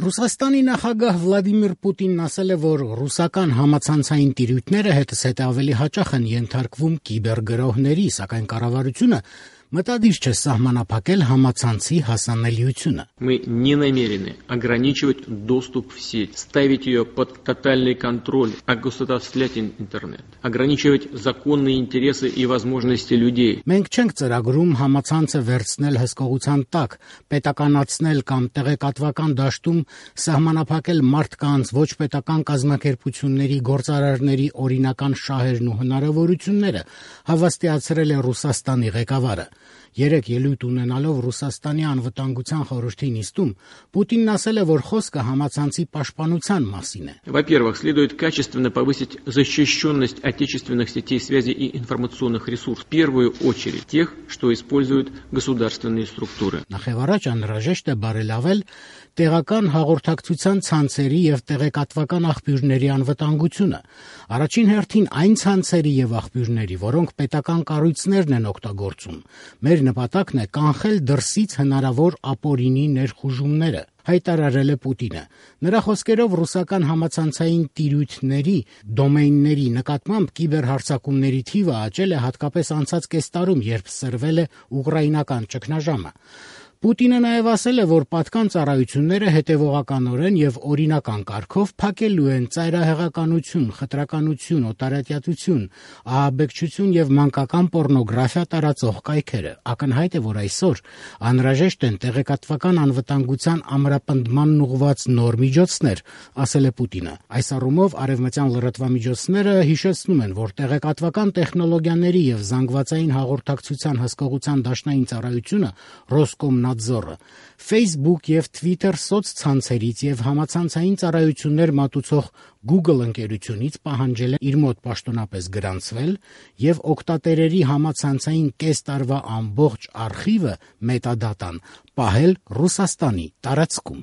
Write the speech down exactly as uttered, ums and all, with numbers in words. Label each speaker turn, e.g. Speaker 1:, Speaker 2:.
Speaker 1: Ռուսաստանի նախագահ Վլադիմիր Պուտինն ասել է, որ ռուսական համացանցային տիրույթները հետզհետե ավելի հաճախ են ենթարկվում կիբերգրոհների, սակայն կառավարությունը մտադիր չէ սահմանափակել համացանցի հասանելիությունը.
Speaker 2: Мы не намерены ограничивать доступ в сеть, ставить ее под тотальный контроль, огосударствлять интернет, ограничивать законные интересы и возможности людей.
Speaker 1: Մենք չենք ծրագրում համացանցը վերցնել հսկողության տակ, պետականացնել կամ տեղեկատվական դաշտում սահմանափակել մարդկանց, ոչ պետական կազմակերպությունների, գործարարների օրինական շահերն ու հնարավորությունները, հավաստիացրել է Ռուսաստանի ղեկավարը. Երեք ելույթ ունենալով Ռուսաստանի անվտանգության խորհրդի նիստում Պուտինն ասել է, որ խոսքը համացանցի պաշտպանության մասին է.
Speaker 2: Во-первых, следует качественно повысить защищенность отечественных сетей связи и информационных ресурсов, в первую очередь тех, что используют государственные структуры.
Speaker 1: Նախևառաջ անհրաժեշտ է բարելավել տեղական հաղորդակցության ցանցերի եւ տեղեկատվական աղբյուրների անվտանգությունը. Առաջին հերթին այն ցանցերի եւ աղբյուրների, որոնք պետական կառույցներն են օգտագործում. Մեր նպատակն է կանխել դրսից հնարավոր ապօրինի ներխուժումները, հայտարարել է Պուտինը. Նրա խոսքերով ռուսական համացանցային տիրույթների, դոմեյնների նկատմամբ կիբերհարձակումների թիվը աճել է հատկապես անցած կես տարում, երբ սրվել է ուկրաինական ճգնաժամը. Պուտինը նաև ասել է, որ պատկան ծառայությունները հետևողականորեն եւ օրինական կարգով փակելու են ծայրահեղականություն, խտրականություն, օտարատյացություն, ահաբեկչություն եւ մանկական պոռնոգրաֆիա տարածող կայքերը. Ակնհայտ է, որ այսօր անհրաժեշտ են տեղեկատվական անվտանգության ամրապնդմանն ուղղված նոր միջոցներ, ասել է Պուտինը. Այս առումով արևմտյան լրատվամիջոցները հիշեցնում են, որ տեղեկատվական տեխնոլոգիաների եւ զանգվածային հաղորդակցության հսկողության դաշնային ծառայությունը Ռոսկոմնադզորը Facebook եւ Twitter սոցցանցերից եւ համացանցային ծառայություններ մատուցող Google ընկերությունից պահանջել է իր մոտ պաշտոնապես գրանցվել եւ օգտատերերի համացանցային կես տարվա ամբողջ արխիվը մետադատան պահել Ռուսաստանի տարածքում.